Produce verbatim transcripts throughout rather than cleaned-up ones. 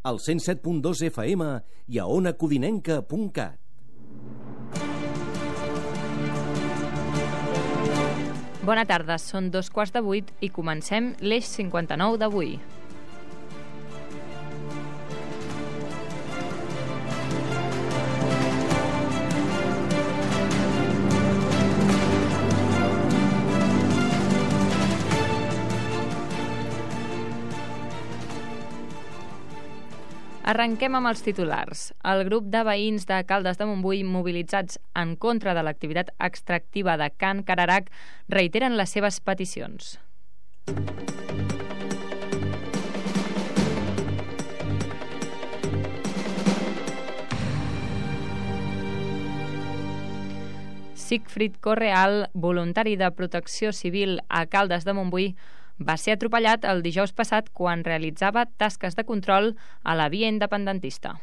al cent set punt dos F M i a ona codinenca punt cat. Bona tarda, són dos quarts de vuit i comencem l'Eix cinquanta-nou d'avui. Arrenquem amb els titulars. El grup de veïns de Caldes de Montbui mobilitzats en contra de l'activitat extractiva de Can Cararac reiteren les seves peticions. Sigfrid Correal, voluntari de Protecció Civil a Caldes de Montbui, va ser atropellat el dijous passat quan realitzava tasques de control a la via independentista.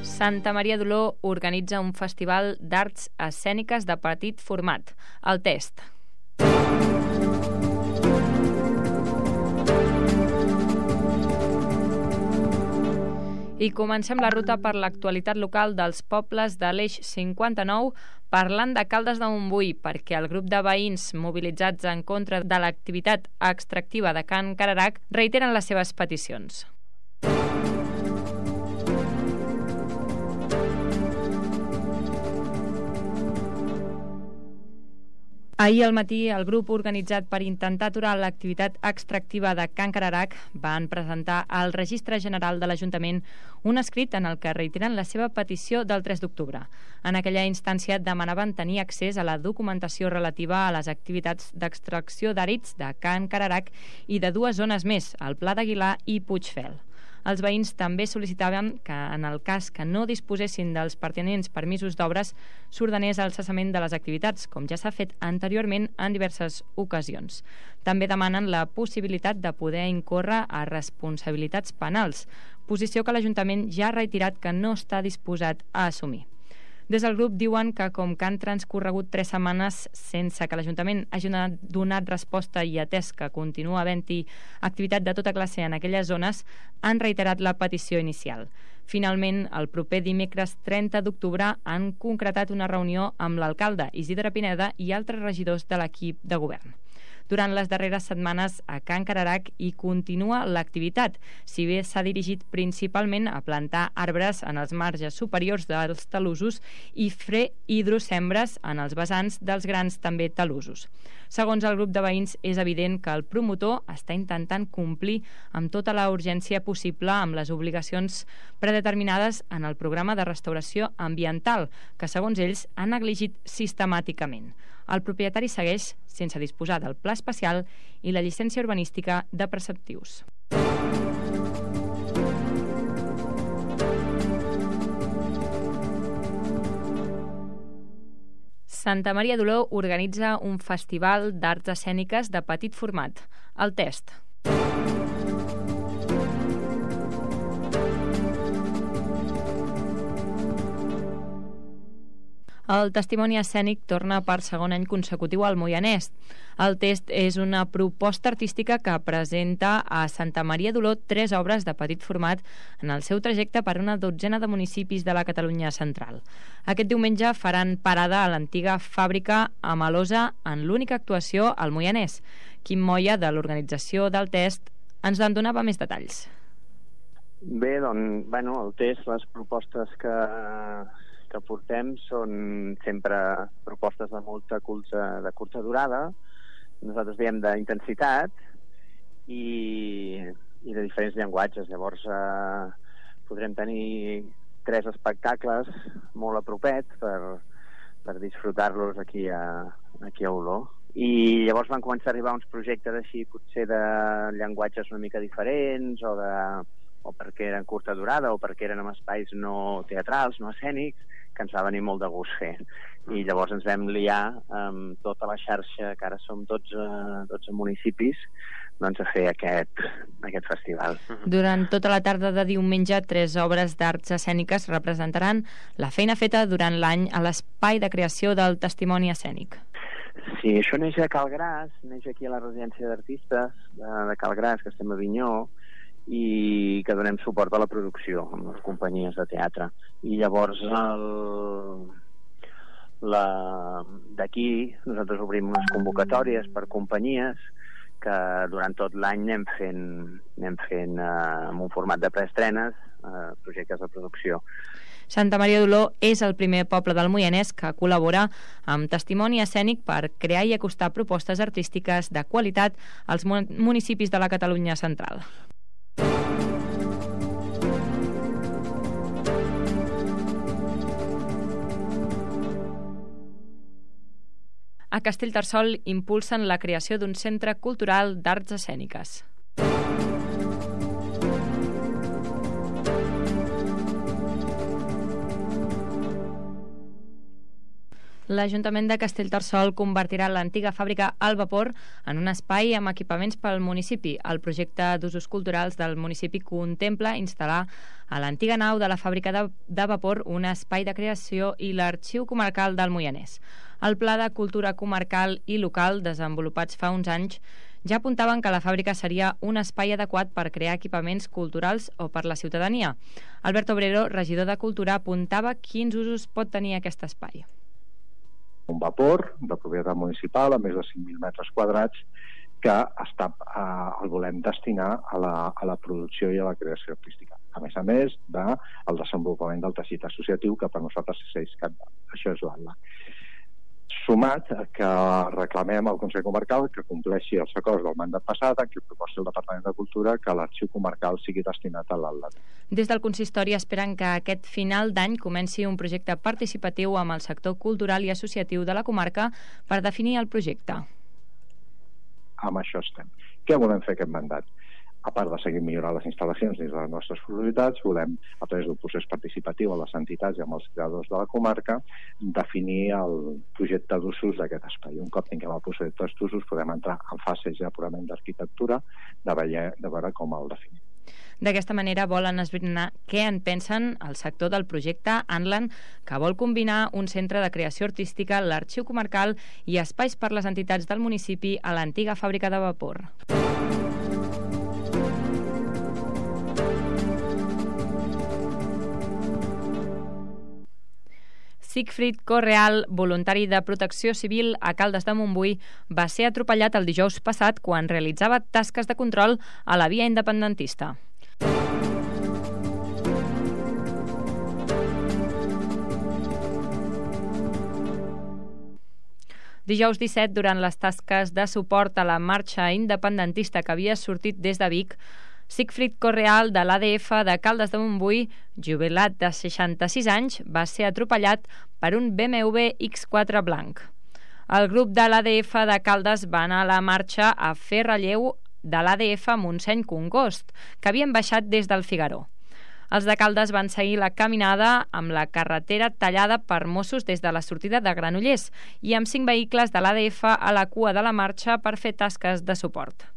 Santa Maria d'Oló organitza un festival d'arts escèniques de petit format, el Test. I comencem la ruta per l'actualitat local dels pobles de l'Eix cinquanta-nou parlant de Caldes de Montbui, perquè el grup de veïns mobilitzats en contra de l'activitat extractiva de Can Cararac reiteren les seves peticions. Ahir al matí, el grup organitzat per intentar aturar l'activitat extractiva de Can Cararac van presentar al Registre General de l'Ajuntament un escrit en el que reiteren la seva petició del tres d'octubre. En aquella instància demanaven tenir accés a la documentació relativa a les activitats d'extracció d'àrids de Can Cararac i de dues zones més, el Pla d'Aguilar i Puigfel. Els veïns també sol·licitaven que, en el cas que no disposessin dels pertinents permisos d'obres, s'ordenés el cessament de les activitats, com ja s'ha fet anteriorment en diverses ocasions. També demanen la possibilitat de poder incórrer a responsabilitats penals, posició que l'Ajuntament ja ha reiterat que no està disposat a assumir. Des del grup diuen que, com que han transcorregut tres setmanes sense que l'Ajuntament hagi donat resposta i atès que continua havent-hi activitat de tota classe en aquelles zones, han reiterat la petició inicial. Finalment, el proper dimecres trenta d'octubre han concretat una reunió amb l'alcalde Isidre Pineda i altres regidors de l'equip de govern. Durant les darreres setmanes a Can Cararac hi continua l'activitat, si bé s'ha dirigit principalment a plantar arbres en els marges superiors dels talussos i fer hidrosembres en els vessants dels grans també talussos. Segons el grup de veïns, és evident que el promotor està intentant complir amb tota la urgència possible amb les obligacions predeterminades en el programa de restauració ambiental, que segons ells han negligit sistemàticament. El propietari segueix sense disposar del pla especial i la llicència urbanística de preceptius. Santa Maria d'Oló organitza un festival d'arts escèniques de petit format, el Test. El testimoni escènic torna per segon any consecutiu al Moianès. El Test és una proposta artística que presenta a Santa Maria d'Oló tres obres de petit format en el seu trajecte per una dotzena de municipis de la Catalunya central. Aquest diumenge faran parada a l'antiga fàbrica a Malosa en l'única actuació al Moianès. Quim Moya, de l'organització del Test, ens en donava més detalls. Bé, doncs, bueno, el Test, les propostes que... que portem són sempre propostes de molta curta, de curta durada, nosaltres diem d'intensitat i, i de diferents llenguatges. Llavors eh, podrem tenir tres espectacles molt apropets per, per disfrutar-los aquí a, aquí a Oló. I llavors van començar a arribar uns projectes així, potser de llenguatges una mica diferents, o, de, o perquè eren curta durada, o perquè eren en espais no teatrals, no escènics, que ens va venir molt de gust fer. I llavors ens vam liar amb tota la xarxa, que ara som dotze, dotze municipis, doncs, a fer aquest, aquest festival. Durant tota la tarda de diumenge, tres obres d'arts escèniques representaran la feina feta durant l'any a l'espai de creació del testimoni escènic. Sí, això neix a Calgràs, neix aquí a la residència d'artistes de, de Calgràs, que estem a Avinyó, i que donem suport a la producció amb les companyies de teatre. I llavors el... la... d'aquí nosaltres obrim unes convocatòries per companyies que durant tot l'any anem fent, anem fent eh, amb un format de preestrenes eh, projectes de producció. Santa Maria d'Oló és el primer poble del Moianès que col·labora amb Testimoni Escènic per crear i acostar propostes artístiques de qualitat als municipis de la Catalunya central. A Castellterçol impulsen la creació d'un centre cultural d'arts escèniques. L'Ajuntament de Castellterçol convertirà l'antiga fàbrica al vapor en un espai amb equipaments pel municipi. El projecte d'usos culturals del municipi contempla instal·lar a l'antiga nau de la fàbrica de, de vapor un espai de creació i l'arxiu comarcal del Moianès. El Pla de Cultura Comarcal i Local, desenvolupats fa uns anys, ja apuntaven que la fàbrica seria un espai adequat per crear equipaments culturals o per la ciutadania. Albert Obrero, regidor de Cultura, apuntava quins usos pot tenir aquest espai. Un vapor de propietat municipal a més de cinc mil metres quadrats que està, eh, el volem destinar a la, a la producció i a la creació artística. A més a més del de desenvolupament del teixit associatiu, que per nosaltres és cabdal. Això és l'A L A. Sumat que reclamem al Consell Comarcal que compleixi els acords del mandat passat en què proposi el Departament de Cultura que l'arxiu comarcal sigui destinat a l'A L A. Des del consistori esperen que aquest final d'any comenci un projecte participatiu amb el sector cultural i associatiu de la comarca per definir el projecte. Amb això estem. Què volem fer aquest mandat? A part de seguir millorant les instal·lacions dins de les nostres possibilitats, volem, a través d'un procés participatiu a les entitats i amb els creadors de la comarca, definir el projecte d'usos d'aquest espai. Un cop tinguem el projecte d'usos, podem entrar en fase ja purament d'arquitectura, de, de veure com el definim. D'aquesta manera volen esbrinar què en pensen el sector del projecte Anlan, que vol combinar un centre de creació artística, l'arxiu comarcal i espais per les entitats del municipi a l'antiga fàbrica de vapor. Sigfrid Correal, voluntari de Protecció Civil a Caldes de Montbui, va ser atropellat el dijous passat quan realitzava tasques de control a la via independentista. Dijous disset, durant les tasques de suport a la marxa independentista que havia sortit des de Vic, Sigfrid Correal, de l'A D F de Caldes de Montbui, jubilat de seixanta-sis anys, va ser atropellat per un B M W X quatre blanc. El grup de l'A D F de Caldes va anar a la marxa a fer relleu de l'A D F Montseny Congost, que havien baixat des del Figaró. Els de Caldes van seguir la caminada amb la carretera tallada per Mossos des de la sortida de Granollers i amb cinc vehicles de l'A D F a la cua de la marxa per fer tasques de suport.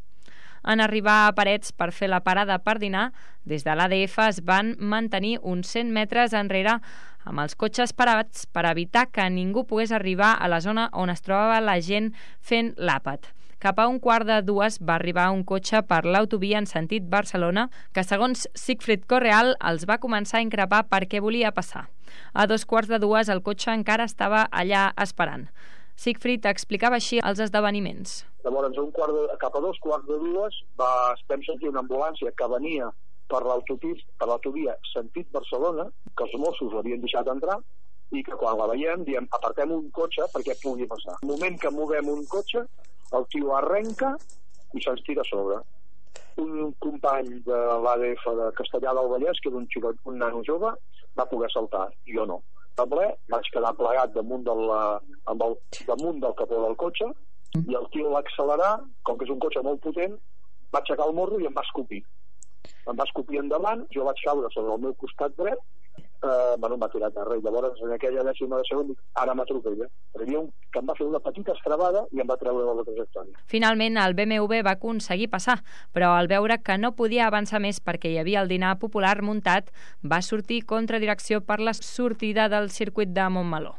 En arribar a Parets per fer la parada per dinar, des de l'A D F es van mantenir uns cent metres enrere amb els cotxes parats per evitar que ningú pogués arribar a la zona on es trobava la gent fent l'àpat. Cap a un quart de dues va arribar un cotxe per l'autovia en sentit Barcelona que, segons Sigfrid Correal, els va començar a increpar perquè volia passar. A dos quarts de dues el cotxe encara estava allà esperant. Sigfrid explicava així els esdeveniments. Llavors, un quart de, cap a dos quarts de dues va, vam sentir una ambulància que venia per per l'autovia sentit Barcelona, que els Mossos l'havien deixat entrar, i que quan la veiem diem apartem un cotxe perquè pugui passar. Al moment que movem un cotxe, el tio arrenca i se'ns tira a sobre. Un company de l'A D F de Castellà del Vallès, que era un, xicot, un nano jove, va poder saltar, jo no. A ple, vaig quedar plegat damunt del, amb el, damunt del capó del cotxe i el tio va accelerar, com que és un cotxe molt potent, va aixecar el morro i em va escopir. Em va escopir endavant, jo vaig caure sobre el meu costat dret eh, bueno, em va tirar a terra. I llavors, en aquella dècima de segon, dic, ara m'atropella. Però hi havia un que em va fer una petita estrebada i em va treure de la trajectòria. Finalment, el B M W va aconseguir passar, però al veure que no podia avançar més perquè hi havia el dinar popular muntat, va sortir contra direcció per la sortida del circuit de Montmeló.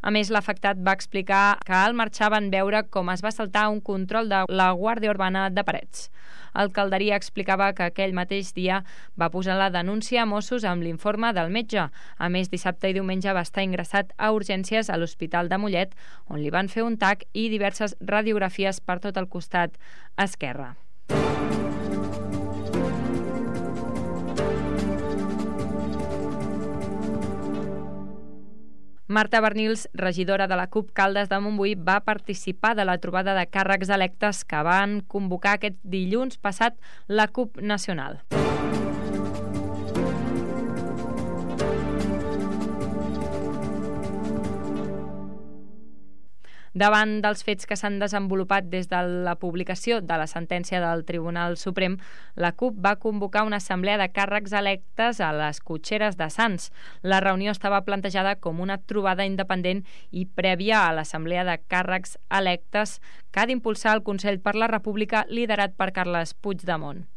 A més, l'afectat va explicar que al marxar van veure com es va saltar un control de la Guàrdia Urbana de Parets. El Calderia explicava que aquell mateix dia va posar la denúncia a Mossos amb l'informe del metge. A més, dissabte i diumenge va estar ingressat a urgències a l'Hospital de Mollet, on li van fer un tac i diverses radiografies per tot el costat esquerre. Marta Bernils, regidora de la CUP Caldes de Montbui, va participar de la trobada de càrrecs electes que van convocar aquest dilluns passat la CUP Nacional. Davant dels fets que s'han desenvolupat des de la publicació de la sentència del Tribunal Suprem, la CUP va convocar una assemblea de càrrecs electes a les Cotxeres de Sants. La reunió estava plantejada com una trobada independent i prèvia a l'assemblea de càrrecs electes que ha d'impulsar el Consell per la República liderat per Carles Puigdemont.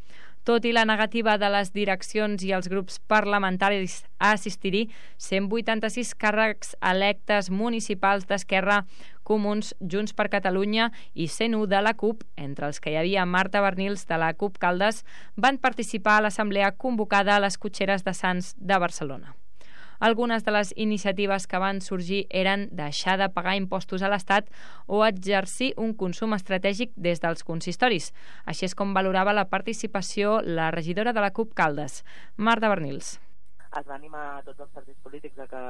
Tot i la negativa de les direccions i els grups parlamentaris a assistir-hi, cent vuitanta-sis càrrecs electes municipals d'Esquerra, Comuns, Junts per Catalunya i cent u de la CUP, entre els que hi havia Marta Bernils de la CUP Caldes, van participar a l'assemblea convocada a les Cotxeres de Sants de Barcelona. Algunes de les iniciatives que van sorgir eren deixar de pagar impostos a l'Estat o exercir un consum estratègic des dels consistoris. Així és com valorava la participació la regidora de la CUP Caldes, Marta Bernils. Es va animar a tots els partits polítics a que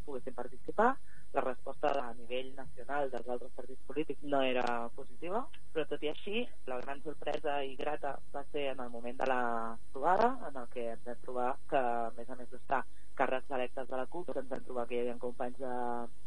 poguessin participar. La resposta a nivell nacional dels altres partits polítics no era positiva, però tot i així, la gran sorpresa i grata va ser en el moment de la trobada, en el que ens vam trobar que, a més a més d'estar càrrecs electes de la CUP, ens vam trobar que hi havia companys de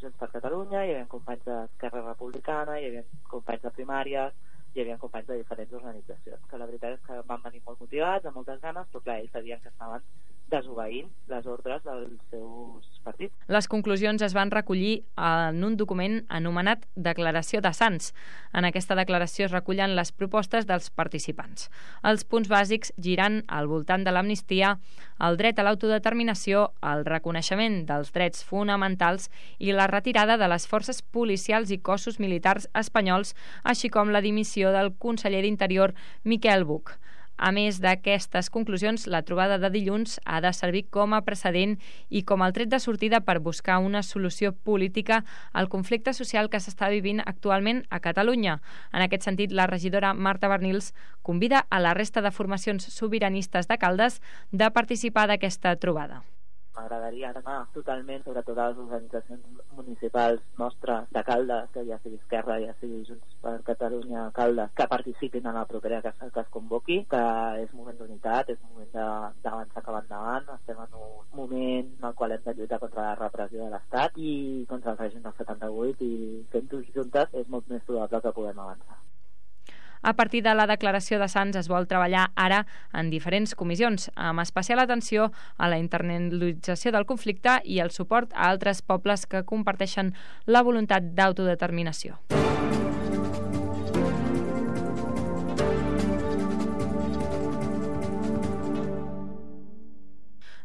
Junts per Catalunya, hi havia companys d'Esquerra Republicana, hi havia companys de primàries, hi havia companys de diferents organitzacions, que la veritat és que van venir molt motivats, amb moltes ganes, però clar, ells sabien que estaven desobeint les ordres dels seus partits. Les conclusions es van recollir en un document anomenat Declaració de Sants. En aquesta declaració es recullen les propostes dels participants. Els punts bàsics giran al voltant de l'amnistia, el dret a l'autodeterminació, el reconeixement dels drets fonamentals i la retirada de les forces policials i cossos militars espanyols, així com la dimissió del conseller d'Interior Miquel Buch. A més d'aquestes conclusions, la trobada de dilluns ha de servir com a precedent i com el tret de sortida per buscar una solució política al conflicte social que s'està vivint actualment a Catalunya. En aquest sentit, la regidora Marta Bernils convida a la resta de formacions sobiranistes de Caldes de participar d'aquesta trobada. M'agradaria anar totalment, sobretot a les organitzacions municipals nostres de Caldes, que ja sigui Esquerra, ja sigui Junts per Catalunya, Caldes, que participin en la propera que, que es convoqui, que és moment d'unitat, és moment d'avançar cap endavant, estem en un moment en el qual hem de lluitar contra la repressió de l'Estat i contra el règim del setanta-vuit, i fent-ho juntes és molt més probable que puguem avançar. A partir de la declaració de Sants es vol treballar ara en diferents comissions, amb especial atenció a la internalització del conflicte i el suport a altres pobles que comparteixen la voluntat d'autodeterminació.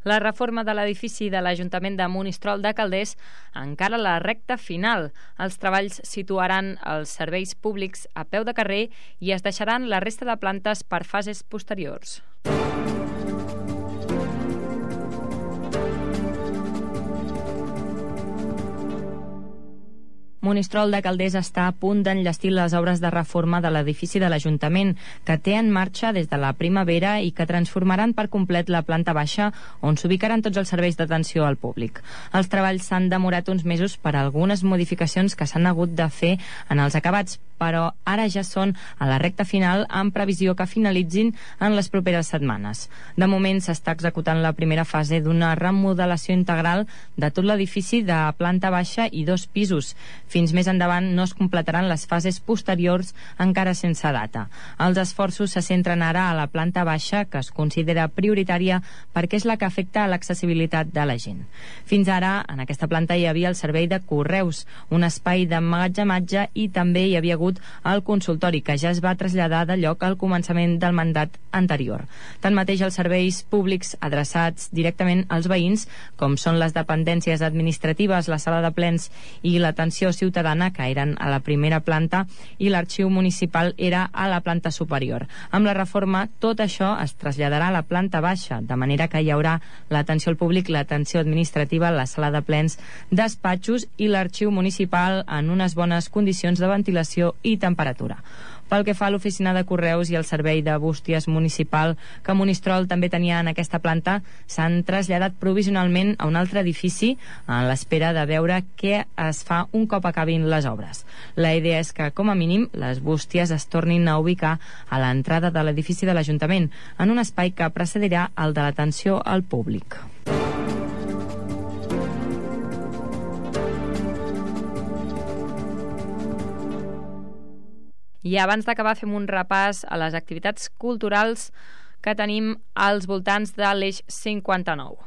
La reforma de l'edifici de l'Ajuntament de Monistrol de Calders encara la recta final. Els treballs situaran els serveis públics a peu de carrer i es deixaran la resta de plantes per fases posteriors. Monistrol de Calders està a punt d'enllestir les obres de reforma de l'edifici de l'Ajuntament, que té en marxa des de la primavera i que transformaran per complet la planta baixa, on s'ubicaran tots els serveis d'atenció al públic. Els treballs s'han demorat uns mesos per algunes modificacions que s'han hagut de fer en els acabats, però ara ja són a la recta final amb previsió que finalitzin en les properes setmanes. De moment s'està executant la primera fase d'una remodelació integral de tot l'edifici de planta baixa i dos pisos. Fins més endavant no es completaran les fases posteriors encara sense data. Els esforços se centren ara a la planta baixa, que es considera prioritària perquè és la que afecta a l'accessibilitat de la gent. Fins ara, en aquesta planta hi havia el servei de correus, un espai d'emmagatzematge i també hi havia hagut el consultori, que ja es va traslladar de lloc al començament del mandat anterior. Tanmateix, els serveis públics adreçats directament als veïns, com són les dependències administratives, la sala de plens i l'atenció ciutadana, que eren a la primera planta, i l'arxiu municipal era a la planta superior. Amb la reforma, tot això es traslladarà a la planta baixa, de manera que hi haurà l'atenció al públic, l'atenció administrativa, la sala de plens, despatxos i l'arxiu municipal en unes bones condicions de ventilació i temperatura. Pel que fa a l'oficina de correus i el servei de bústies municipal que Monistrol també tenia en aquesta planta, s'han traslladat provisionalment a un altre edifici en l'espera de veure què es fa un cop acabin les obres. La idea és que, com a mínim, les bústies es tornin a ubicar a l'entrada de l'edifici de l'Ajuntament, en un espai que precedirà el de l'atenció al públic. I abans d'acabar fem un repàs a les activitats culturals que tenim als voltants de l'eix cinquanta-nou.